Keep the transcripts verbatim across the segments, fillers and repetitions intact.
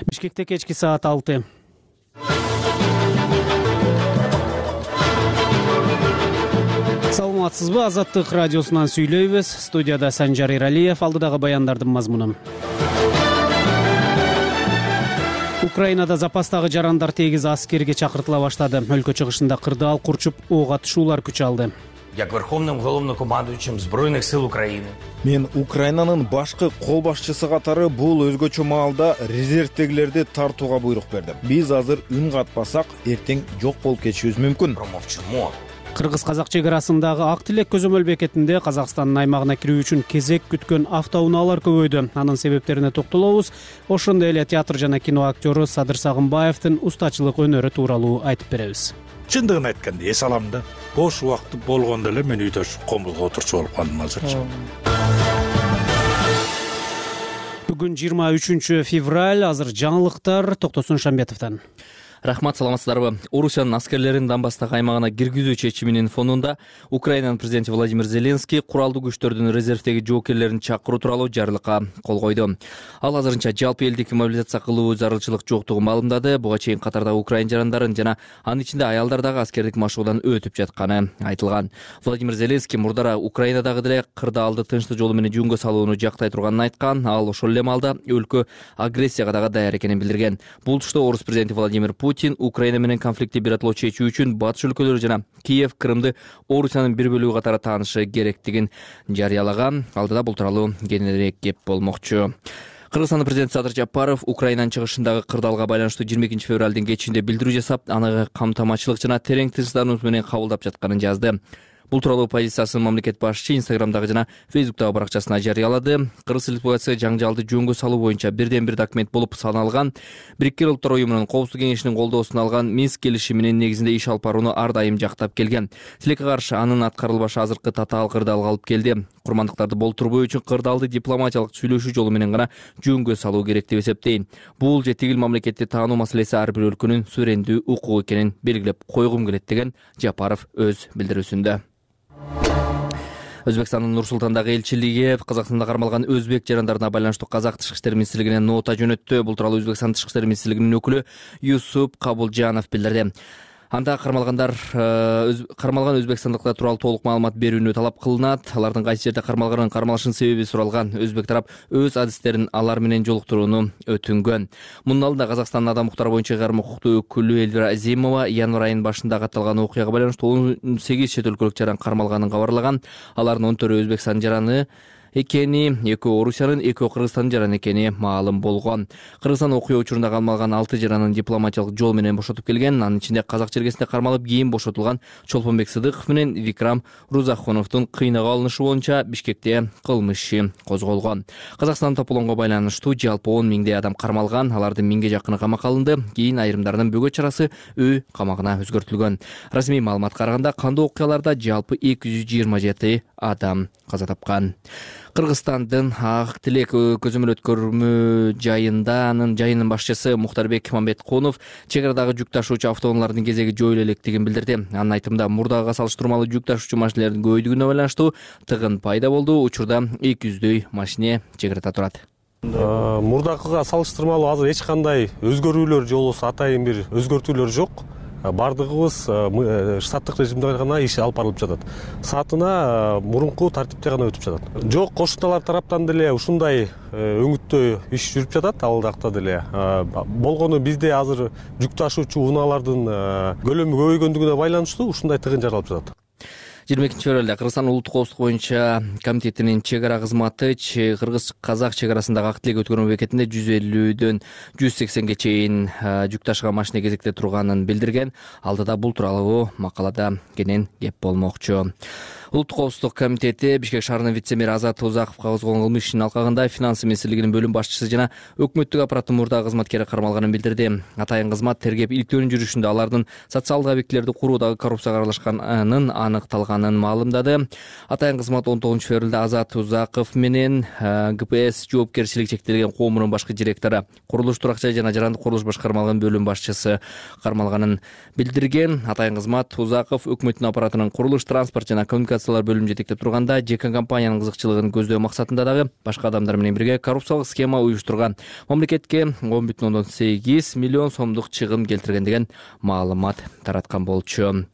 Бишкекте кечки саат алты. Саламатсызбы? Азаттык радиосунан сүйлөйбүз. Студияда Санжар Иралиев. Алдыдагы баяндардын мазмуну. Украинада запастагы жарандар тегиз аскерге чакыртыла баштады. Өлкө чыгышында кырдаал курчуп ок атышуулар күч алды. Як верховным главнокомандующим Збройных сил Украины. Мен Украинанын башкы кол башчысы катары бул өзгөчө маалда резервтегилерди тартууга буйрук бердим. Биз азыр үн катпасак, эртең жок болуп кетишибиз мүмкүн. Кыргыз-казак чек арасындагы Ак Тилек көзөмөл бекетинде Казакстандын аймагына кирүү үчүн кезек күткөн автоунаалар көбөйдү. Анын себептерине токтолобуз. Ошондой эле театр жана кино актёру Садыр Сагынбаевдин устачылык өнөрү тууралуу айтып беребиз. Чындыгын айтканда эс алам да. Бош убакыт болгондо эле мен үйдө комбулга отурчу болуп калдым азырчы. Бүгүн жыйырма үчүнчү февраль, азыр жаңылыктар Токтосун Шамбетовдон. Рахмат, саламатсыздарбы? Орусиянын аскерлерин Донбасстагы аймагына киргизүү чечиминин фонунда Украинанын президенти Владимир Зеленский куралдуу күчтөрдүн резервдеги жоокерлерин чакыруу тууралуу жарлыкка кол койду. Ал азырынча жалпы элдик мобилизация кылуу зарылчылык жоктугун маалымдады. Буга чейин катардагы украин жарандарын жана анын ичинде аялдар дагы аскердик машыгуудан өтүп жатканы айтылган. Владимир Зеленский мурдара Украинадагы деле кырдаалды тынчтык жолу менен жөнгө салууну жактай турганын айткан. Ал ошол эле маалда өлкө агрессияга дагы даяр экенин билдирген. Бул тушта орус президенти Владимир Путин Украина менен конфликтти биротоло чечүү үчүн батыш өлкөлөрү жана Киев, Крымды Орусиянын бир бөлүгү катары таанышы керектигин жарыялаган. Алдыда бул тууралуу кененирээк кеп болмокчу. Кыргызстандын президенти Садыр Жапаров Украинанын чыгышындагы кырдаалга байланыштуу жыйырма экинчи февралдын кечинде билдирүү жасап, аны камтамачылык жана терең тынчсыздануу менен кабылдап жатканын жазды. Бул тууралуу позициясын мамлекет башчы Инстаграмдагы жана Фейсбуктагы баракчасына жарыялады. Кыргыз Республикасы жаңжалды жөнгө салуу боюнча бирден бир документ болуп саналган. Бириккен Улуттар уюмунун Коопсуздук кеңешинин колдоосун алган Минск келишиминин негизинде иш алып барууну ар дайым жактап келген. Тилекке каршы анын аткарылбашы азыркы татаал кырдаалга алып келди. Курмандыктарды болтурбоо үчүн кырдаалды дипломатиялык сүйлөшүү жолу менен гана жөнгө салуу керек деп эсептейм. Бул же тигил мамлекетти таануу маселеси ар бир өлкөнүн суверендүү укугу экенин белгилеп койгум келет деген Жапаров өз билдирүүсүндө. Өзбекстандын Нур-Султандагы элчилиги Казакстанда кармалган өзбек жарандарына байланыштуу Казак тышкы иштер министрлигине нота жөнөттү. Бул тууралуу Өзбекстан тышкы иштер министрлигинин өкүлү Юсуп Кабулжанов билдирди. Анда кармалгандар кармалган өзбекстандыктар тууралуу толук маалымат берүүнү талап кылынат. Алардын кайсы жерде кармалганын, кармалышынын себеби суралган. Өзбек тарап өз адистерин алар менен жолуктурууну өтүнгөн. Мунун алдында Казакстандын адам укуктары боюнча кармы укуктуу өкүлү Эльвира Азимова январь айынын башында катталган окуяга байланыштуу он сегиз чет өлкөлүк жаран кармалганын кабарлаган. Алардын он төртү Өзбекстан жараны экени, экөө Орусиянын, экөө Кыргызстандын жараны экени маалым болгон. Кыргызстан окуя учурунда кармалган алты жаранын дипломатиялык жол менен бошотуп келген. Анын ичинде казак жергесинде кармалып кийин бошотулган Чолпонбек Сыдыков менен Викрам Рузахоновдун кыйнап алынышы боюнча Бишкекте кылмыш иши козголгон. Казакстандын тополоңго байланыштуу жалпы он миңдей адам кармалган. Алардын миңге жакыны камакка алынды. Кийин айрымдарынын бөгөт чарасы үй камагына өзгөртүлгөн. Расмий маалыматка караганда кандуу окуяларда жалпы эки жүз жыйырма жети адам каза тапкан. Кыргызстандын Ак Тилек көзөмөл өткөрмө жайында анын жайынын башчысы Мухтарбек Мамбетконов чек арадагы жүк ташуучу автоунаалардын кезеги жоюла электигин билдирди. Анын айтымында мурдагыга салыштырмалуу жүк ташуучу машинелердин көбөйдүгүнө байланыштуу тыгын пайда болду. Учурда эки жүздөй машине чек арада турат. Мурдакыга салыштырмалуу азыр эч кандай өзгөрүүлөр же болбосо атайын бир өзгөртүүлөр жок. Бардыгыбыз штаттык режимде гана иш алып барылып жатат. Саатына мурунку тартипте гана өтүп жатат. Жок, кошуналар тараптан деле ушундай өңүттөй иш жүрүп жатат. Ал жакта деле болгону бизде азыр жүк ташуучу унаалардын көлөмү көбөйгөндүгүнө байланыштуу ушундай тыгын жаралып жатат. жыйырма экинчи февралда Кыргызстан улуттук коопсуздук боюнча комитетинин чек ара кызматы Кыргыз-Казак чек арасындагы Ак Тилек өткөрмө бекетинде жүз элүүдөн жүз сексенге чейин жүк ташыган машина кезекте турганын билдирген. Алдыда бул тууралуу макалада кенен кеп болмокчу. Улуттук коопсуздук комитети Бишкек шаарынын вице-мери Азат Узаковго козголгон кылмыш ишинин алкагында финансы министрлигинин бөлүм башчысы жана өкмөттүк аппараттын мурдагы кызматкери кармалганын билдирди. Атайын кызмат тергеп иликтөөнүн жүрүшүндө алардын социалдык объектилерди куруудагы коррупцияга аралашканын аныкталганын маалымдады. Атайын кызмат он тогузунчу февралда Азат Узаков менен ГПС жоопкерчилиги чектелген коомунун башкы директору, курулуш турак-жай жана жарандык курулуш башкармалыгынын бөлүм башчысы кармалганын билдирген. Атайын кызмат Узаков өкмөттүн аппаратынын курулуш, транспорт жана коммуникация операциялар бөлүмүн жетектеп турганда ЖК компаниянын кызыкчылыгын көздөө максатында дагы башка адамдар менен бирге коррупциялык схема уюштурган, мамлекетке он бүтүн ондон сегиз миллион сомдук чыгым келтирген деген маалымат тараткан болчу.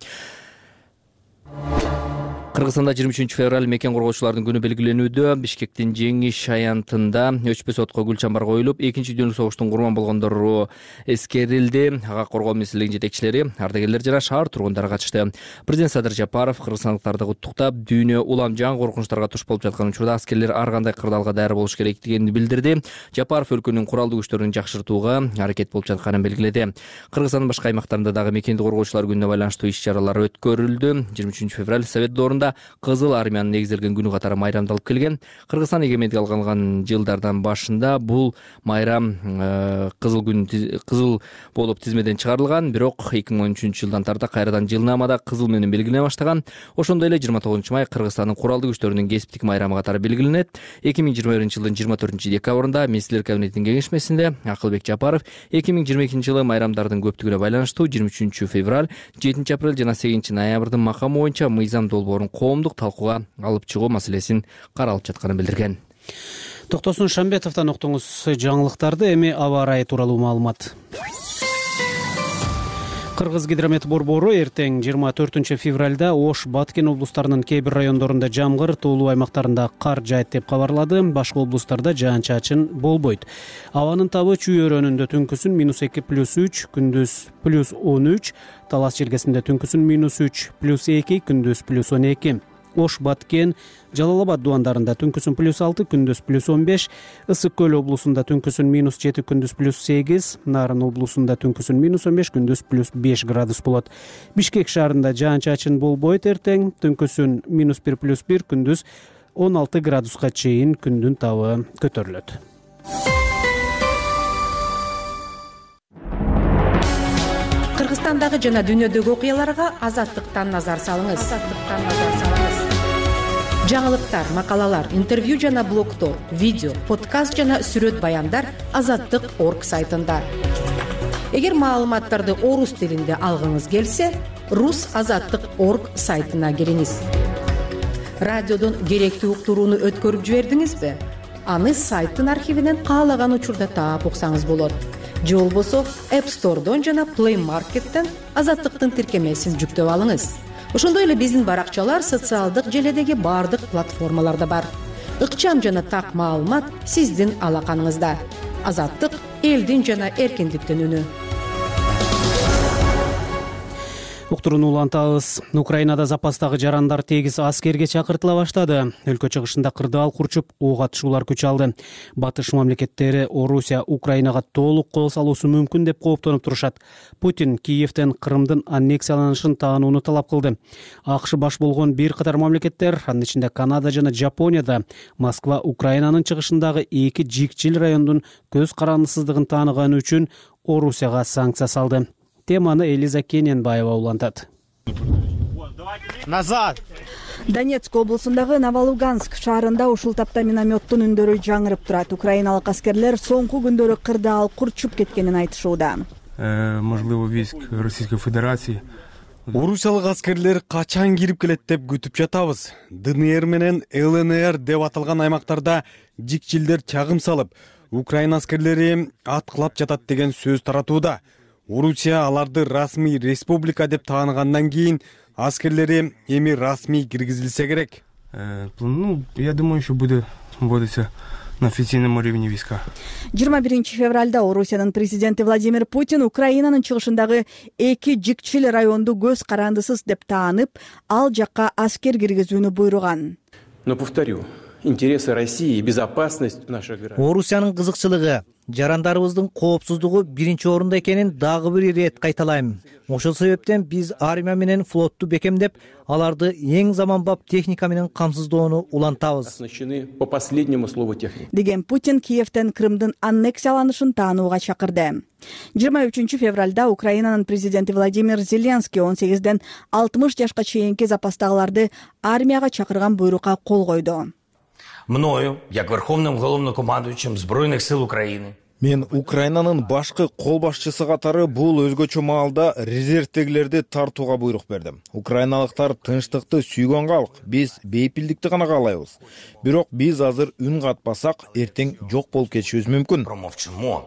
Кыргызстанда жыйырма үчүнчү февраль мекен коргоочулардын күнү белгиленүүдө. Бишкектин Жеңиш аянтында өчпөс отко гүл чамбар коюлуп, экинчи дүйнөлүк согуштун курман болгондору эскерилди. Ага коргоо министрлигинин жетекчилери, ардагерлер жана шаар тургундары катышты. Президент Садыр Жапаров кыргызстандыктарды куттуктап, дүйнө улам жан коркунучтарга туш болуп жаткан учурда аскерлер ар кандай кырдаалга даяр болуш керектигин билдирди. Жапаров өлкөнүн куралдуу күчтөрүн жакшыртууга аракет болуп жатканын белгиледи. Кыргызстандын башка аймактарында дагы мекенди коргоочулар күнүнө байланыштуу иш-чаралар өткөрүлдү. жыйырма үчүнчү февраль Совет доорунда Кызыл армиянын негизделген күнү катары майрамдалып келген. Кыргызстан эгемендик алган жылдардан башында бул майрам кызыл күн кызыл болуп тизмеден чыгарылган, бирок эки миң он үчүнчү жылдан тарта кайрадан жылнаамада кызыл менен белгилене баштаган. Ошондой эле жыйырма тогузунчу май Кыргызстандын куралдуу күчтөрүнүн кесиптик майрамы катары белгиленет. эки миң жыйырма биринчи жылдын жыйырма төртүнчү декабрында Министрлер кабинетинин кеңешмесинде Акылбек Жапаров эки миң жыйырма экинчи жылы майрамдардын көптүгүнө байланыштуу жыйырма үчүнчү февраль, жетинчи апрель жана сегизинчи ноябрдын макамы боюнча мыйзам долбоорун коомдук талкууга алып чыгуу маселесин каралып жатканын билдирген. Токтосун Шамбетовдон уктуңуз жаңылыктарды. Эми аба ырайы тууралуу маалымат. Кыргыз гидромет борбору эртең жыйырма төртүнчү февралда Ош, Баткен облустарынын кээ бир райондорунда жамгыр, тоолуу аймактарында кар жаайт деп кабарлады. Башка облустарда жаан-чачын болбойт. Абанын табы Чүй өрөөнүндө түнкүсүн минус эки плюс үч, күндүз плюс он үч, Талас жергесинде түнкүсүн минус үч плюс эки, күндүз плюс он эки. Ош, Баткен, Жалал Абад дубандарында түнкүсүн плюс алты, күндүз плюс он беш, Ысык көл облусунда түнкүсүн минус жети, күндүз плюс сегиз, Нарын облусунда түнкүсүн минус он беш, күндүз плюс беш градус болот. Бишкек шаарында жаан-чачын болбойт эртең, түнкүсүн минус бир плюс бир, күндүз он алты градуска чейин күндүн табы көтөрүлөт. Кыргызстандагы жана дүйнөдөгү окуяларга Азаттыктан назар салыңыз. Азаттыктан назар салыңыз. Жаңылыктар, макалалар, интервью жана блогтор, видео, подкаст жана сүрөт баяндар азаттык точка орг сайтында. Эгер маалыматтарды орус тилинде алгыңыз келсе, рус азаттык точка орг сайтына кириңиз. Радиодон керектүү уктурууну өткөрүп жибердиңизби? Аны сайттын архивинен каалаган учурда таап уксаңыз болот. Же болбосо App Store'дон жана Play Market'тен азаттыктын тиркемесин жүктөп алыңыз. Ошондой эле биздин баракчалар социалдык желедеги бардык платформаларда бар. Ыкчам жана так маалымат сиздин алаканыңызда. Азаттык элдин жана эркиндиктин үнү. Уктурууну улантабыз. Украинада запастагы жарандар тегиз аскерге чакыртыла баштады. Өлкө чыгышында кырдаал курчуп, ок атышуулар күч алды. Батыш мамлекеттери Орусия Украинага толук кол салуусу мүмкүн деп кооптонуп турушат. Путин Киевден Крымдын аннексияланышын таанууну талап кылды. АКШ баш болгон бир катар мамлекеттер, анын ичинде Канада жана Жапонияда, Москва Украинанын чыгышындагы эки жикчил райондун көз карандысыздыгын тааныганы үчүн Орусияга санкция салды. Теманы Элиза Кененбаева улантат. Назад! Донецк облусундагы Новолуганск шаарында ушул тапта минометтун үндөрү жаңырып турат. Украиналык аскерлер соңку күндөрү кырдаал курчуп кеткенин айтышууда. Можливо, войск Российской Федерации. Орусиялык аскерлер качан кирип келет деп күтүп жатабыз. ДНР менен ЛНР деп аталган аймактарда жикчилдер чагым салып, Украина аскерлери аткылап жатат деген сөз таратууда. Орусия аларды расмий республика деп тааныгандан кийин аскерлери эми расмий киргизилсе керек. Ну, я думаю, еще будет вводиться на официальном уровне войска. жыйырма биринчи февралда Орусиянын президенти Владимир Путин Украинанын чыгышындагы эки жикчил районду көз карандысыз деп таанып, ал жакка аскер киргизүүнү буйруган. Но повторю, интересы России и безопасность наших граждан. Орусиянын кызыкчылыгы, жарандарыбыздын коопсуздугу биринчи орунда экенин дагы бир ирет кайталайм. Ошол себептен биз армия менен флотту бекемдеп, аларды эң заманбап техника менен камсыздоону улантабыз. Оснащены по последнему слову техники. Деген Путин Киевден Крымдын аннексияланышын таанууга чакырды. жыйырма үчүнчү февралда Украинанын президенти Владимир Зеленский он сегизден алтымыш жашка чейинки запастагыларды армияга чакырган буйрукка кол койду. Мною, як Верховним головнокомандуючим Збройних сил України, Мен Украинанын башкы кол башчысы катары бул өзгөчө маалда резервдегилерди тартууга буйрук бердим. Украиналыктар тынчтыкты сүйгөн калк, биз бейпилдикти гана каалайбыз. Бирок биз азыр үн катпасак, эртең жок болуп кетишибиз мүмкүн. Промовчимо,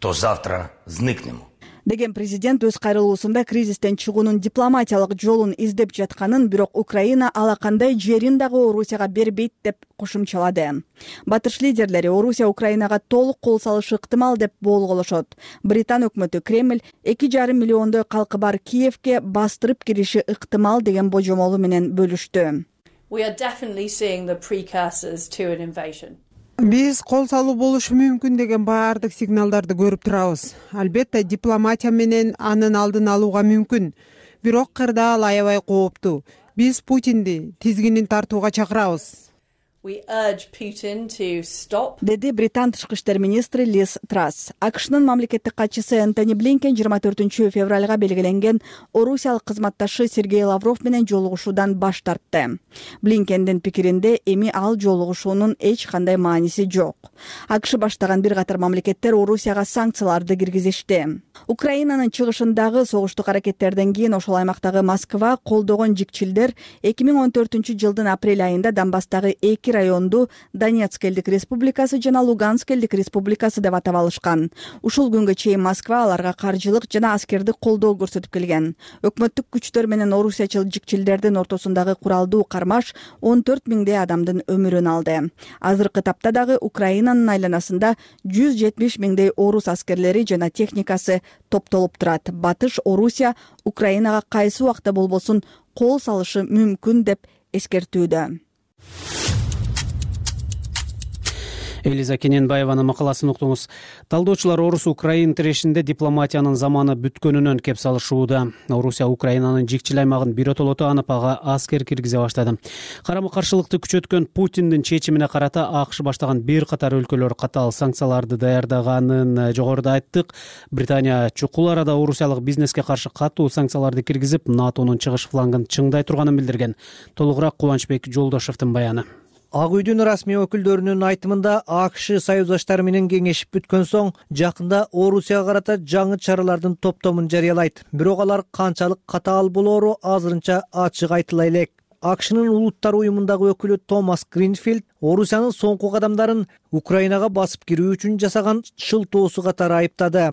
то завтра зникнемо. Деген президент өз кайрылуусунда кризистен чыгуунун дипломатиялык жолун издеп жатканын, бирок Украина ала кандай жерин дагы Орусияга бербейт деп кошумчалады. Батыш лидерлери Орусия Украинага толук кол салышы ыктымал деп болголошот. Британ өкмөтү Кремль эки жарым миллиондой калкы бар Киевке бастырып кириши ыктымал деген божомолу менен бөлүштү. We are definitely seeing the precursors to an invasion. Биз кол салуу болушу мүмкүн деген баардык сигналдарды көрүп турабыз. Албетте дипломатия менен анын алдын алууга мүмкүн. Бирок кырдаал аябай кооптуу. Биз Путинди тизгинин тартууга чакырабыз. We urge Putin to stop. Деди Британ тышкы иштер министри Лиз Трасс. АКШнын мамлекеттик катчысы Энтони Блинкен жыйырма төртүнчү февралга белгиленген орусиялык кызматташы Сергей Лавров менен жолугушуудан баш тартты. Блинкендин пикиринде эми ал жолугушуунун эч кандай мааниси жок. АКШ баштаган бир катар мамлекеттер Орусияга санкцияларды киргизишти. Украинанын чыгышындагы согуштук аракеттерден кийин ошол аймактагы Москва колдогон жикчилдер эки миң он төртүнчү жылдын апрель айында Донбасстагы эки районду Донецк элдик республикасы жана Луганск элдик республикасы деп атап алышкан. Ушул күнгө чейин Москва аларга каржылык жана аскердик колдоо көрсөтүп келген. Өкмөттүк күчтөр менен орусиячыл жикчилдердин ортосундагы куралдуу кармаш он төрт миңдей адамдын өмүрүн алды. Азыркы тапта дагы Украинанын айланасында жүз жетимиш миңдей орус аскерлери жана техникасы топтолуп турат. Батыш Орусия Украинага кайсы убакта болбосун кол салышы мүмкүн деп эскертүүдө. Элиза Кененбаеванын макаласын уктуңуз. Талдоочулар Орус-Украин тирешинде дипломатиянын заманы бүткөнүнөн кеп салышууда. Орусия Украинанын жикчил аймагын биротолото анып ага аскер киргизе баштады. Карама-каршылыкты күчөткөн Путиндин чечимине карата АКШ баштаган бир катар өлкөлөр катаал санкцияларды даярдаганын жогоруда айттык. Британия чукул арада орусиялык бизнеске каршы катуу санкцияларды киргизип, НАТОнун чыгыш флангын чыңдай турганын билдирген. Толугураак Кубанычбек Жолдошевдун баяны. Ак үйдүн расмий өкүлдөрүнүн айтымында АКШ союздаштары менен кеңешип бүткөн соң жакында Орусияга карата жаңы чаралардын топтомун жарыялайт. Бирок алар канчалык катаал болоору азырынча ачык айтыла элек. АКШнын улуттар уюмундагы өкүлү Томас Гринфилд Орусиянын соңку кадамдарын Украинага басып кирүү үчүн жасаган шылтоосу катары айыптады.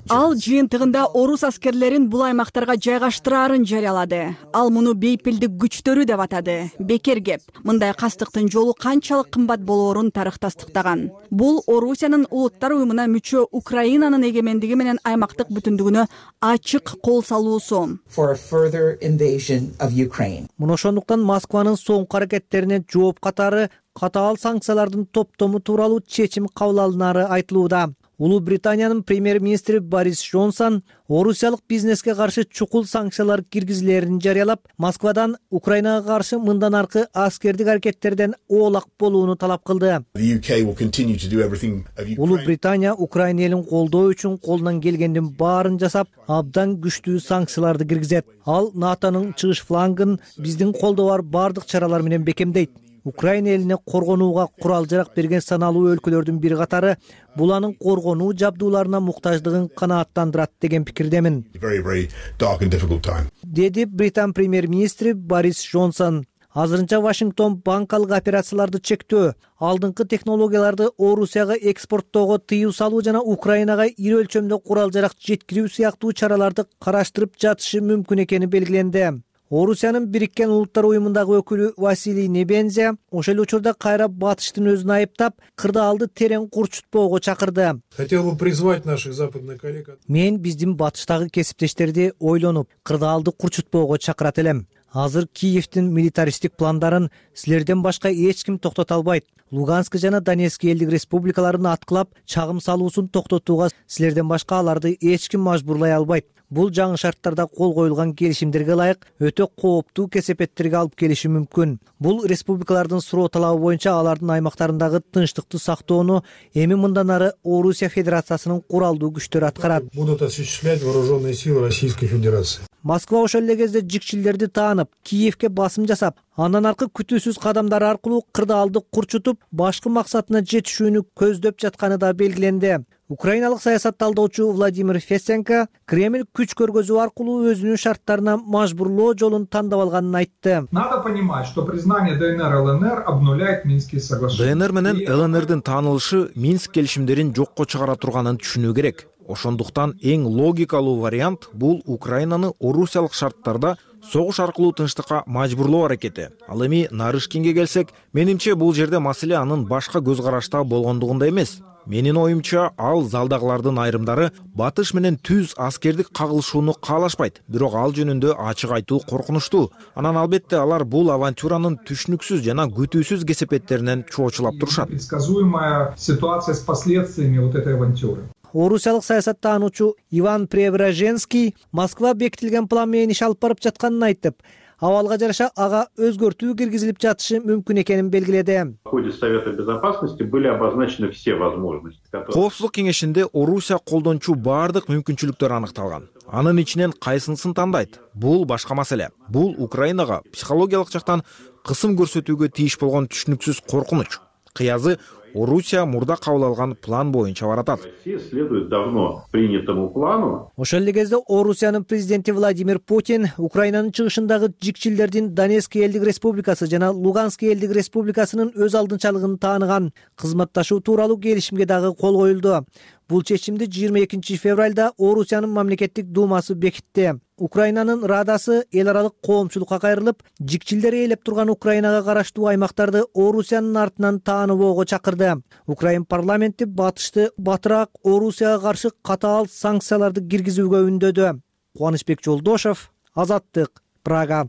Ал жыйынтыгында орус аскерлерин бул аймактарга жайгаштырарын жарыялады. Ал муну бейпилдик күчтөрү деп атады. Бекер кеп. Мындай кастыктын жолу канчалык кымбат болоорун тарых тастыктаган. Бул Орусиянын улуттар уюмуна мүчө Украинанын эгемендиги менен аймактык бүтүндүгүнө ачык кол салуусу. Муну ошондуктан Москванын соңку аракеттерине жооп катары катаал санкциялардын топтому тууралуу чечим кабыл алынары айтылууда. Улуу Британиянын премьер-министри Борис Джонсон орусиялык бизнеске каршы чукул санкциялар киргизилерин жарыялап, Москвадан Украинага каршы мындан аркы аскердик аракеттерден оолак болууну талап кылды. Улуу Британия Украина элин колдоо үчүн колунан келгендин баарын жасап, абдан күчтүү санкцияларды киргизет. Ал НАТОнун чыгыш флангын биздин колдо бар бардык чаралар менен бекемдейт. Украина элине коргонууга курал-жарак берген саналуу өлкөлөрдүн бир катары бул анын коргонуу жабдууларына муктаждыгын канааттандырат деген пикирдемин, деди Британ премьер-министри Борис Джонсон. Азырынча Вашингтон банкалык операцияларды чектөө, алдыңкы технологияларды Орусияга экспорттоого тыюу салуу жана Украинага ири өлчөмдө курал-жарак жеткирүү сыяктуу чараларды караштырып жатышы мүмкүн экени белгиленди. Орусиянын Бириккен Улуттар уюмундагы өкүлү Василий Небензя ошол учурда кайра Батыштын өзүн айыптап, кырдаалды терең курчутпоого чакырды. Хотел бы призвать наших западных коллег. Мен биздин батыштагы кесиптештерди ойлонуп, кырдаалды курчутпоого чакырат элем. Азыр Киевдин милитаристик пландарын силерден башка эч ким токтото албайт. Луганск жана Донецк элдик республикаларын аткылап, чагым салуусун токтотууга силерден башка аларды эч ким мажбурлай албайт. бул жаңы шарттарда кол коюлган келишимдерге ылайык өтө кооптуу кесепеттерге алып келиши мүмкүн. Бул республикалардын суроо талабы боюнча алардын аймактарындагы тынчтыкты сактоону эми мындан ары Орусия Федерациясынын куралдуу күчтөрү аткарат. Будут осуществлять вооруженные силы Российской Федерации. Москва ошол эле кезде жикчилдерди таанып, Киевке басым жасап, андан аркы күтүүсүз кадамдар аркылуу кырдаалды курчутуп, башкы максатына жетишүүнү көздөп жатканы да белгиленди. Украиналык саясат талдоочу Владимир Фесенко Кремль күч көргөзүү аркылуу өзүнүн шарттарына мажбурлоо жолун тандап алганын айтты. Надо понимать, что признание ДНР и ЛНР обнуляет Минские соглашения. ДНР менен ЛНРдин таанылышы Минск келишимдерин жокко чыгара турганын түшүнүү керек. Ошондуктан эң логикалуу вариант бул Украинаны орусиялык шарттарда согуш аркылуу тынчтыкка мажбурлоо аракети. Ал эми Нарышкинге келсек, менимче бул жерде маселе анын башка көз карашта болгондугунда эмес. Менин оюмча, ал залдагылардын айрымдары батыш менен түз аскердик кагылышууну каалашпайт, бирок ал жөнүндө ачык айтуу коркунучтуу. Анан албетте алар бул авантюранын түшүнүксүз жана күтүүсүз кесепеттеринен чоочулап турушат. Предсказуемая ситуация с последствиями вот этой авантюры. Орусиялык саясаттануучу Иван Преображенский Москва бекитилген план менен иш алып барып жатканын айтып, абалга жараша ага өзгөртүү киргизилип жатышы мүмкүн экенин белгиледи. В ходе Совета Безопасности были обозначены все возможности. Коопсуздук кеңешинде Орусия колдончу бардык мүмкүнчүлүктөр аныкталган. Анын ичинен кайсынысын тандайт? Бул башка маселе. Бул Украинага психологиялык жактан кысым көрсөтүүгө тийиш болгон түшүнүксүз коркунуч. Кыязы Орусия мурда кабыл алган план боюнча баратат. Россия следует давно принятому плану. Ошол эле кезде Орусиянын президенти Владимир Путин Украинанын чыгышындагы жикчилдердин Донецк элдик республикасы жана Луганск элдик республикасынын өз алдынчалыгын тааныган, кызматташуу тууралуу келишимге дагы кол коюлду. Бул чечимди жыйырма экинчи февралда Орусиянын мамлекеттик думасы бекитти. Украинанын Радасы эл аралык коомчулукка кайрылып, жикчилдер ээлеп турган Украинага караштуу аймактарды Орусиянын артынан тааныбоого чакырды. Украин парламенти батышты батыраак Орусияга каршы катаал санкцияларды киргизүүгө үндөдү. Кубанычбек Жолдошев, Азаттык, Прага.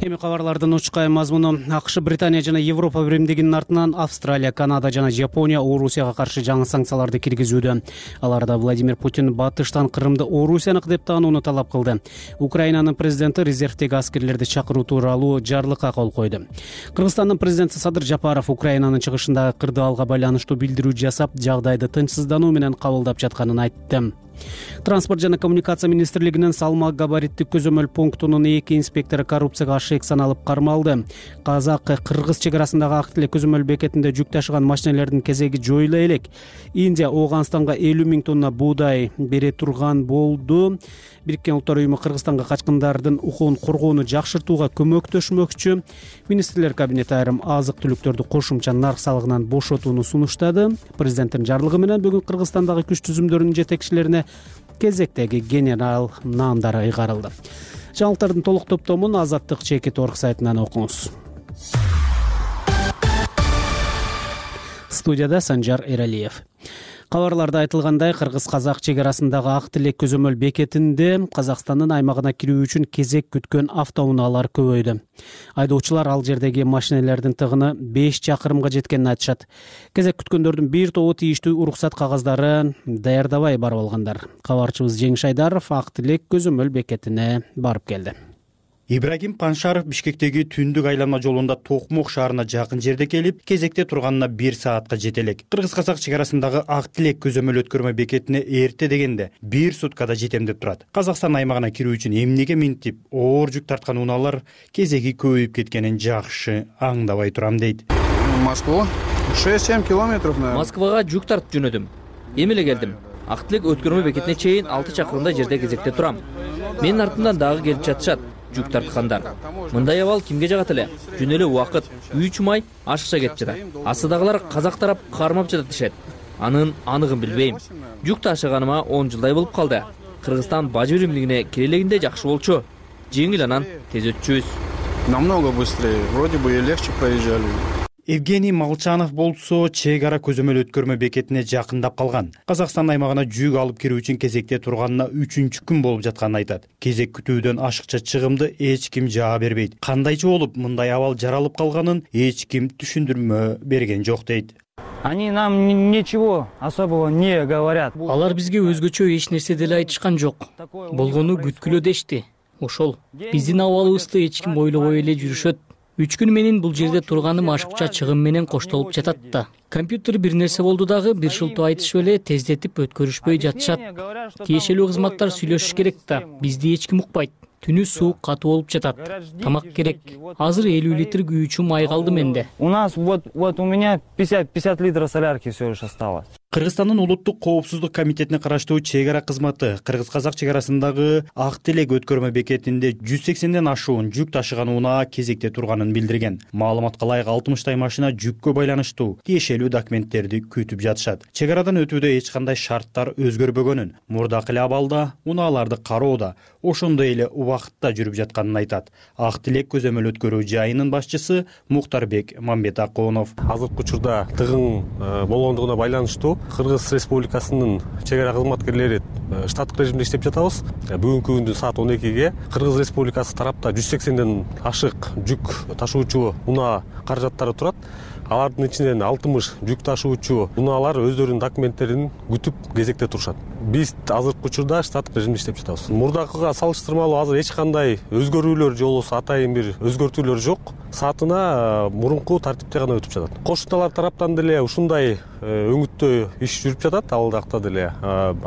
Эми кабарлардын учкай мазмуну. АКШ, Британия жана Европа биримдигинин артынан Австралия, Канада жана Жапония Орусияга каршы жаңы санкцияларды киргизүүдө. Аларда Владимир Путин батыштан Крымды Орусияныкы деп таанууну талап кылды. Украинанын президенти резервдеги аскерлерди чакыруу тууралуу жарлыкка кол койду. Кыргызстандын президенти Садыр Жапаров Украинанын чыгышындагы кырдаалга байланыштуу билдирүү жасап, жагдайды тынчсыздануу менен кабылдап жатканын айтты. Транспорт жана коммуникация министрлигинин салмак габариттик көзөмөл пунктунун эки инспектору коррупцияга ашык саналып кармалды. Казак-кыргыз чек арасындагы Актилек көзөмөл бекетинде жүк ташыган машинелердин кезеги жоюла элек. Индия Ооганстанга элүү миң тонна буудай бере турган болду. Бириккен Улуттар уюму Кыргызстанга качкындардын укугун коргоону жакшыртууга көмөктөшмөкчү. Министрлер кабинети айрым азык-түлүктөрдү кошумча нарк салыгынан бошотууну сунуштады. Президенттин жарлыгы менен бүгүн Кыргызстандагы күч түзүмдөрүнүн жетекчилерине кезектеги генерал наамдары ыйгарылды. Жаңылыктардын толук топтомун Азаттык Чекит орг сайтынан окуңуз. Студияда Санжар Эралиев. Кабарларда айтылгандай, кыргыз-казак чек арасындагы Актилек көзөмөл бекетинде Казакстандын аймагына кирүү үчүн кезек күткөн автоунаалар көбөйдү. Айдоочулар ал жердеги машинелердин тыгыны беш чакырымга жеткенин айтышат. Кезек күткөндөрдүн бир тобу тийиштүү уруксат кагыздарын даярдабай барып алгандар. Кабарчыбыз Жеңиш Айдаров Актилек көзөмөл бекетине барып келди. Ибрагим Паншаров Бишкектеги түндүк айланма жолунда Токмок шаарына жакын жерде келип, кезекте турганына бир саатка жетелек. Кыргыз-казак чек арасындагы Актилек көзөмөл өткөрмө бекетине эрте дегенде бир суткада жетем деп турат. Казакстан аймагына кирүү үчүн эмнеге минтип, оор жүк тарткан унаалар кезеги көбөйүп кеткенин жакшы аңдабай турам дейт. Москва шесть-семь километров, наверное. Москвага жүк тартып жөнөдүм. Эми эле келдим. Актилек өткөрмө бекетине чейин алты чакырымдай жерде кезекте турам. Менин артымдан дагы келип жатышат жүк тарткандар. Мындай абал кимге жагат эле? Жөн эле убакыт үч май ашыкча кетип жатат. Астыдагылар казак тарап кармап жатат дешет. Анын аныгын билбейм. Жүк ташыганыма он жылдай болуп калды. Кыргызстан бажы биримдигине кире элегинде жакшы болчу. Жеңил анан тез өтчүбүз. Намного быстрее. Вроде бы и легче проезжали. Евгений Молчанов болсо чек ара көзөмөл өткөрмө бекетине жакындап калган. Казакстан аймагына жүк алып кирүү үчүн кезекте турганына үчүнчү күн болуп жатканын айтат. Кезек күтүүдөн ашыкча чыгымды эч ким жаа бербейт. Кандайча болуп мындай абал жаралып калганын эч ким түшүндүрмө берген жок дейт. Они нам ничего особого не говорят. Алар бизге өзгөчө эч нерсе деле айтышкан жок. Болгону күткүлө дешти. Ошол. Биздин абалыбызды эч ким ойлобой эле жүрүшөт. Үч күн менен бул жерде турганым ашыкча чыгым менен коштолуп жатат да. Компьютер бир нерсе болду дагы бир шылтоо айтышып эле тездетип өткөрүшпөй жатышат. Тиешелүү кызматтар сүйлөшүш керек да. Бизди эч ким укпайт. Түнү суу катуу болуп жатат. Тамак керек. Азыр элүү литр күйүүчү май калды менде. У нас вот вот у меня пятьдесят литров солярки всего лишь осталось. Кыргызстандын улуттук коопсуздук комитетине караштуу чек ара кызматы кыргыз-казак чек арасындагы Ак Телек өткөрмө бекетинде жүз сексенден ашуун жүк ташыган унаа кезекте турганын билдирген. Маалыматка ылайык алтымыштай машина жүккө байланыштуу тиешелүү документтерди күтүп жатышат. Чек арадан өтүүдө эч кандай шарттар өзгөрбөгөнүн, мурдакы эле абалда унааларды кароодо ошондой эле убакытта жүрүп жатканын айтат. Ак Телек көзөмөл өткөрүү жайынын башчысы Муктарбек Мамбетакунов. Азыркы учурда тыгын болгондугуна байланыштуу Кыргыз Республикасынын чек ара кызматкерлери штаттык режимде иштеп жатабыз. Бүгүнкү күндүн саат он экиге Кыргыз Республикасы тарапта жүз сексенден ашык жүк ташуучу унаа каражаттары турат. Алардын ичинен алтымыш жүк ташуучу унаалар өздөрүнүн документтерин күтүп кезекте турушат. Биз азыркы учурда штаттык режимде иштеп жатабыз. Мурдакыга салыштырмалуу азыр эч кандай өзгөрүүлөр же болбосо атайын бир өзгөртүүлөр жок. Саатына мурунку тартипте гана өтүп жатат. Кошуналар тараптан деле ушундай өңүттөө иш жүрүп жатат, ал жакта деле.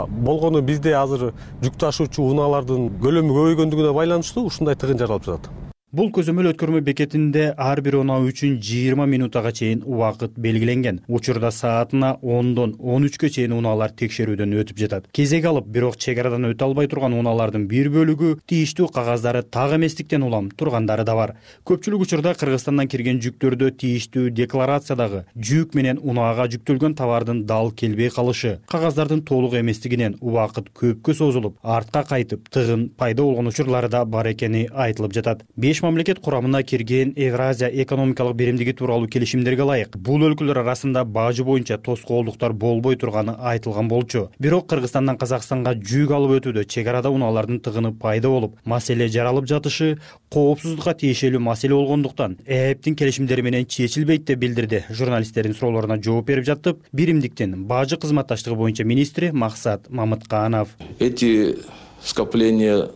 Болгону бизде азыр жүк ташуучу унаалардын көлөмү көбөйгөндүгүнө байланыштуу ушундай тыгын жаралып жатат. Бул көзөмөл өткөрмө бекетинде ар бир унаа үчүн жыйырма минутага чейин убакыт белгиленген. Учурда саатына ондон он үчкө чейин унаалар текшерүүдөн өтүп жатат. Кезек алып, бирок чек арадан өтө албай турган унаалардын бир бөлүгү тийиштүү кагаздары так эместиктен улам тургандары да бар. Көпчүлүк учурда Кыргызстандан кирген жүктөрдө тийиштүү декларациядагы жүк менен унаага жүктөлгөн товардын дал келбей калышы, кагаздардын толук эместигинен убакыт көпкө созулуп, артка кайтып, тыгын пайда болгон учурлары да бар экени айтылып жатат. Беш мамлекет курамына кирген Евразия экономикалык биримдиги тууралуу келишимдерге ылайык бул өлкөлөр арасында бажы боюнча тоскоолдуктар болбой турганы айтылган болчу. Бирок Кыргызстандан Казакстанга жүк алып өтүүдө чек арада унаалардын тыгыны пайда болуп, маселе жаралып жатышы коопсуздукка тиешелүү маселе болгондуктан ээптин келишимдери менен чечилбейт деп билдирди. Журналисттердин суроолоруна жооп берип жатып, биримдиктин бажы кызматташтыгы боюнча министри Максат Мамытканов. Эти скопления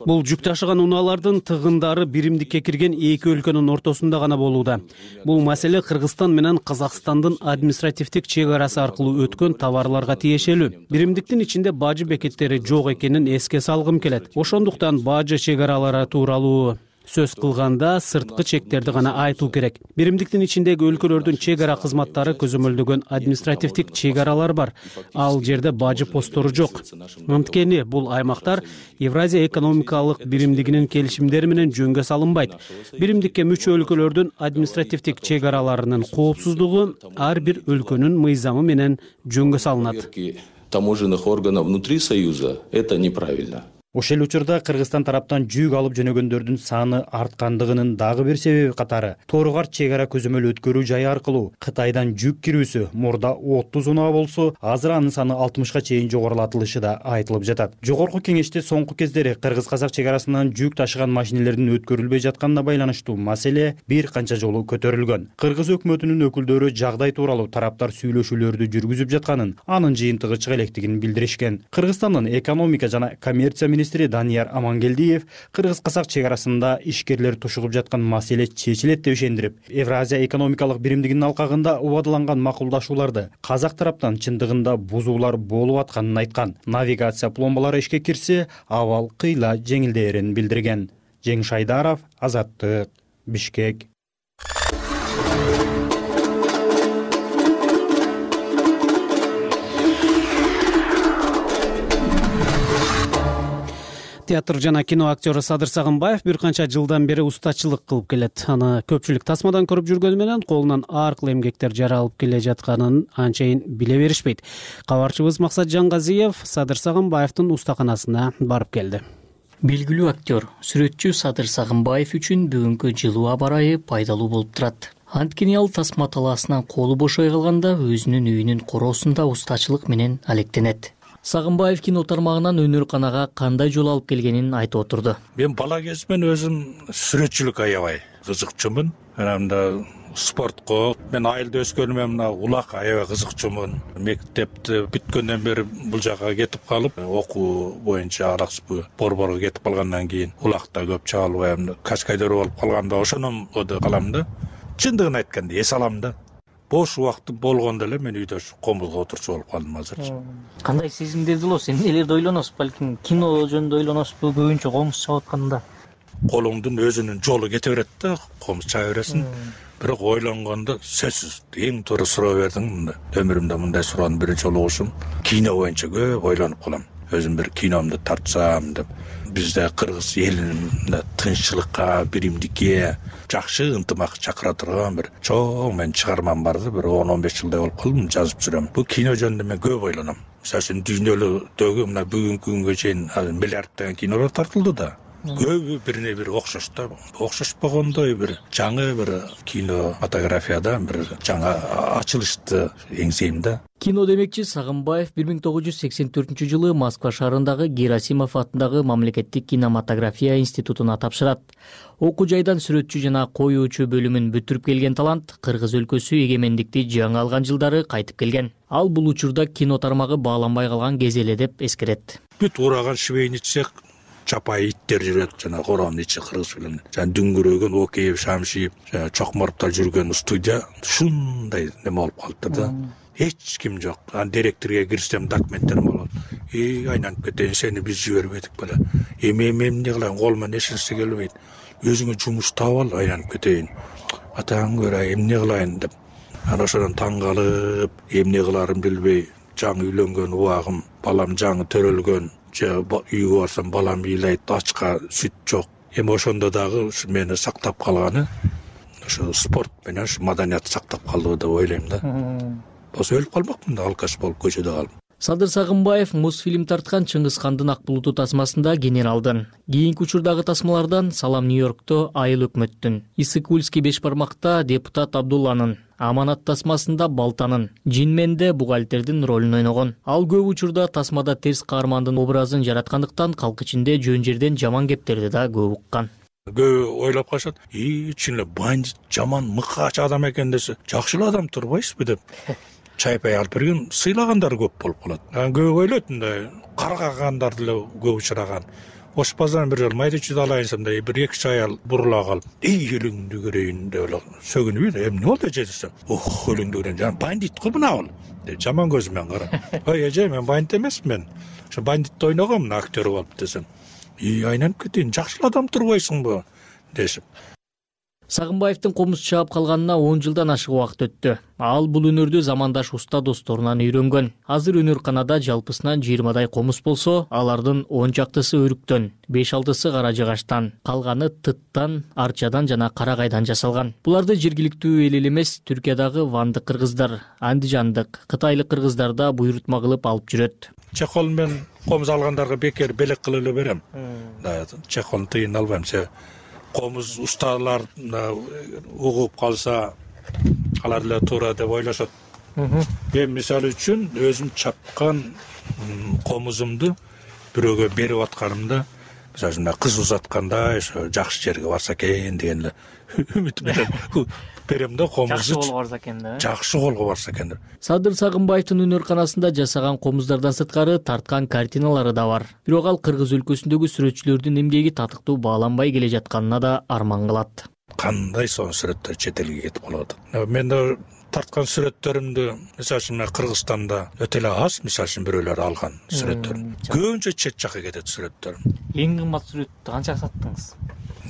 Бул жүк ташыган унаалардын тыгындары биримдикке кирген эки өлкөнүн ортосунда гана болууда. Бул маселе Кыргызстан менен Казакстандын административдик чек арасы аркылуу өткөн товарларга тиешелүү. Биримдиктин ичинде бажы бекеттери жок экенин эске салгым келет. Ошондуктан бажы чек аралары тууралуу сөз кылганда сырткы чектерди гана айтуу керек. Биримдиктин ичиндеги өлкөлөрдүн чек ара кызматтары көзөмөлдөгөн административдик чек аралар бар. Ал жерде бажы посттору жок. Анткени бул аймактар Евразия экономикалык биримдигинин келишимдери менен жөнгө салынбайт. Биримдикке мүчө өлкөлөрдүн административдик чек араларынын коопсуздугу ар бир өлкөнүн мыйзамы менен жөнгө салынат. Таможенных органов внутри Союза это неправильно. Ошол учурда Кыргызстан тараптан жүк алып жөнөгөндөрдүн саны арткандыгынын дагы бир себеби катары Торгар чек ара көзөмөл өткөрүү жайы аркылуу Кытайдан жүк кирүүсү мурда отуз унаа болсо, азыр анын саны алтымышка чейин жогорулатылышы да айтылып жатат. Жогорку кеңеште соңку кездери Кыргыз-Казак чек арасынан жүк ташыган машинелердин өткөрүлбөй жатканына байланыштуу маселе бир канча жолу көтөрүлгөн. Кыргыз өкмөтүнүн өкүлдөрү жагдай тууралуу тараптар сүйлөшүүлөрдү жүргүзүп жатканын, анын жыйынтыгы чыга электигин билдиришкен. Кыргызстандын экономика жана коммерция министри Данияр Амангелдиев Кыргыз-Казак чек арасында ишкерлер тушугуп жаткан маселе чечилет деп ишендирип, Евразия экономикалык биримдигинин алкагында убадыланган макулдашууларды Казак тараптан чындыгында бузуулар болуп атканын айткан. Навигация пломбалары ишке кирсе, абал кыйла жеңилдээрин билдирген. Жеңиш Айдаров, Азаттык, Бишкек. Театр жана кино актёру Садыр Сагынбаев бир канча жылдан бери устачылык кылып келет. Аны көпчүлүк тасмадан көрүп жүргөнү менен колунан ар кыл эмгектер жаралып келе жатканын анчайын биле беришпейт. Кабарчыбыз Максат Жангазиев Садыр Сагынбаевдин устаканасына барып келди. Белгилүү актер, сүрөтчү Садыр Сагынбаев үчүн бүгүнкү жылуу аба ырайы пайдалуу болуп турат. Анткени ал тасма талаасынан колу бошой калганда өзүнүн үйүнүн короосунда устачылык менен алектенет. Сагынбаев кино тармагынан өнөр-канага кандай жол алып келгенин айтып отурду. Мен бала кезимден өзүм сүрөтчүлүккө аябай кызыкчумун. Анан да спортко мен айылда өскөнүмө мына улак аябай кызыкчумун. Мектепти бүткөндөн бери бул жака кетип калып, окуу боюнча араксыз борборго кетип калгандан кийин улакта көп чыга албайм. Качкайдыр болуп калганда ошондон оду калам да. Чындыгын айтканда эс алам да. Бош убактым болгондо эле мен үйдө комузга отурчу болуп калдым азырчы. Кандай сезимдерди болосуз? Эмнелерди ойлоносуз? Балким кино жөнүндө ойлоносузбу? Көбүнчө комуз чабып атканда. Колуңдун өзүнүн жолу кете берет да, комуз чаба бересиң. Бирок ойлонгондо сөзсүз эң туура суроо бердиң. Өмүрүмдө мындай суроону биринчи жолу угушум. Кино боюнча көп ойлонуп калам. Өзүм бир киномду тартсам деп. Бизде кыргыз элинде тынччылыкка, биримдикке, жакшы ынтымак чакыра турган бир чоң мен чыгармам барды. Бир он он беш жылдай болуп калды, жазып жүрөм. Бул кино жөнүндө мен көп ойлоном. Мисалы үчүн дүйнөлүктөгү мына бүгүнкү күнгө чейин миллиарддаган кинолор тартылды да. Көбү бирине бири окшош да. Окшошпогондой бир жаңы бир кинематографияда бир жаңа ачылышты эңсейм да. Кино демекчи Сагынбаев бир миң тогуз жүз сексен төртүнчү жылы Москва шаарындагы Герасимов атындагы мамлекеттик кинематография институтуна тапшырат. Окуу жайдан сүрөтчү жана коюучу бөлүмүн бүтүрүп келген талант Кыргыз өлкөсү эгемендикти жаңы алган жылдары кайтып келген. Ал бул учурда кино тармагы бааланбай калган кез эле деп эскерет. Бүт ураган швейный цех, чапай иттер жүрөт, жана коронун ичи кыргыз фильминде. Жана дүңгүрөгөн Океев, Шамшиев, жана Чокморовдор жүргөн студия ушундай неме болуп калды да. Эч ким жок. Ан директорго кирсем документтерим болот. И айланып кетейин, сени биз жибербедик беле. Эми эми эмне кылайын, кол менен эчнерсе келбейт. Өзүңө жумуш таап ал, айланып кетейин. Атаң көрө эмне кылайын деп. Анан ошондон таң калып, эмне кыларымды билбей, жаңы үйлөнгөн убагым, балам жаңы төрөлгөн, же үйгө барсам балам ыйлайт, ачка сүт жок. Эми ошондо дагы ушу мени сактап калганы ошо спорт менен ушу маданият сактап калды деп ойлойм да. Болсо өлүп калмакмын да, алкаш болуп көчөдө калып. Садыр Сагынбаев Мосфильм тарткан Чыңгыз хандын ак булуту тасмасында генералдын, кийинки учурдагы тасмалардан Салам Нью-Йоркто Айыл өкмөттүн, Исыкульский беш бармакта депутат Абдулланын, Аманат тасмасында Балтанын, Жинменде бухгалтердин ролун ойногон. Ал көп учурда тасмада терс каармандын образын жараткандыктан калк ичинде жөн жерден жаман кептерди да көп уккан. Көп ойлоп калышат, "И, чын эле бандит, жаман мыкач адам экен" десе, "Жакшы эле адам турбайсызбы" деп чайпай алып берген сыйлагандар көп болуп калат. Анан көп ойлойт мындай каргагандар деле көп учураган. Ош базардан бир жолу майдачуд алайынсам да бир эки үч аял бурула калып, "Эй, өлүңдү көрөйүн" деп эле сөгүнүп, "Эмне болду эже" десем, "Ох, өлүңдү көрөйүн, жана бандит го мына ал" деп жаман көзү менен карап. "Ой, эже, мен бандит эмесмин. Ошо бандитти ойногом, мына актер болуп" десем, "И, айланып кетейин, жакшы адам турбайсыңбы" дешип. Сагынбаевдин комуз чаап калганына он жылдан ашык убакыт өттү. Ал бул өнөрдү замандаш уста досторунан үйрөнгөн. Азыр өнөрканада жалпысынан жыйырмадай комуз болсо, алардын он чактысы өрүктөн, беш алтысы кара жыгачтан, калганы тыттан, арчадан жана карагайдан жасалган. Буларды жергиликтүү эл эле эмес, Түркиядагы вандык кыргыздар, андижандык, кытайлык кыргыздар да буйрутма кылып алып жүрөт. Чехол мен комуз алгандарга бекер белек кылып эле берем. Чехолду тыйын албайм. Комуз усталар угуп калса, алар эле туура деп ойлошот. Мен мисалы үчүн өзүм чапкан комузумду бирөөгө берип атканымда, мисалы үчүн кыз узатканда, ошо жакшы жерге барса экен деген эле үмүт менен берем да комузду. Жакшы колго барса экен да. Жакшы колго барса экен деп. Садыр Сагынбаевдин өнөрканасында жасаган комуздардан сырткары тарткан картиналары да бар. Бирок ал Кыргыз өлкөсүндөгү сүрөтчүлөрдүн эмгеги татыктуу бааланбай келе жатканына да арман кылат. Кандай сонун сүрөттөр чет элге кетип калып атат. Мен да тарткан сүрөттөрүмдү, мисалы үчүн Кыргызстанда өтө эле аз, мисалы үчүн бирөөлөр алган сүрөттөр. Көбүнчө чет жакка кетет сүрөттөр. Эң кымбат сүрөттү канчага саттыңыз?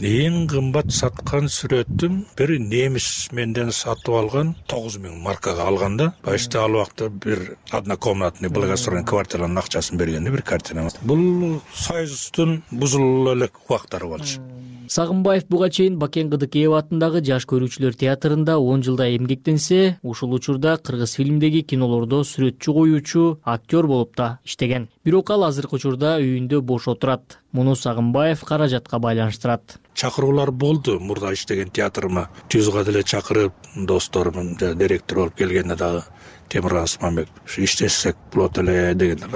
Эң кымбат саткан сүрөтүм бир немис менден сатып алган тогуз миң маркага алганда, башта ал убакта бир однокомнатный благоустроенный квартиранын акчасын бергенде бир картина. Бул Союздун бузулуп элек убактары болчу. Сагынбаев буга чейин Бакен Кыдыкеев атындагы Жаш көрүүчүлөр театрында он жылда эмгектенсе, ушул учурда кыргыз фильмдеги кинолордо сүрөтчү коюучу, актер болуп да иштеген. Бирок ал азыркы учурда үйүндө бош отурат. Муну Сагынбаев каражатка байланыштырат. Чакыруулар болду мурда иштеген театрыма. Түзгө деле чакырып, досторум, директор болуп келгенде дагы Темирхан Осмонбек иштесек болот эле дегенде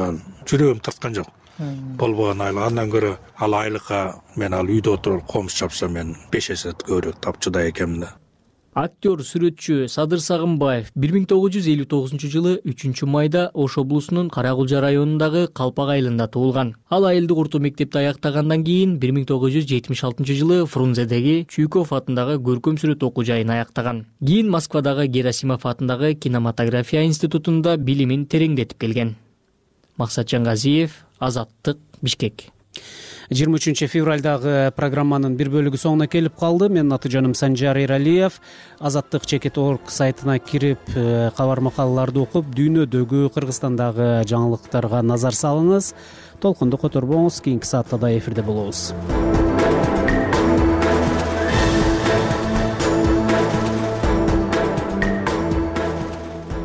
жүрөгүм тарткан жок. Болбогон айыл. Андан көрө ал айлыкка мен ал үйдө отуруп комуз чапсам мен беш эсе көбүрөөк тапчыдай экенмин да. Актер, сүрөтчү Садыр Сагынбаев бир миң тогуз жүз элүү тогузунчу жылы үчүнчү майда Ош облусунун Каракулжа районундагы Калпак айылында туулган. Ал айылдык орто мектепти аяктагандан кийин бир миң тогуз жүз жетимиш алтынчы жылы Фрунзедеги Чуйков атындагы көркөм сүрөт окуу жайын аяктаган. Кийин Москвадагы Герасимов атындагы кинематография институтунда билимин тереңдетип келген. Максат Жангазиев, Азаттык, Бишкек. жыйырма үчүнчү февралдагы программанын бир бөлүгү соңуна келип калды. Менин аты жөнүм Санжар Эралиев. Азаттык чекит точка орг сайтына кирип, кабар макалаларды окуп, дүйнөдөгү, Кыргызстандагы жаңылыктарга назар салыңыз. Толкунду которбоңуз, кийинки саатта да эфирде болобуз.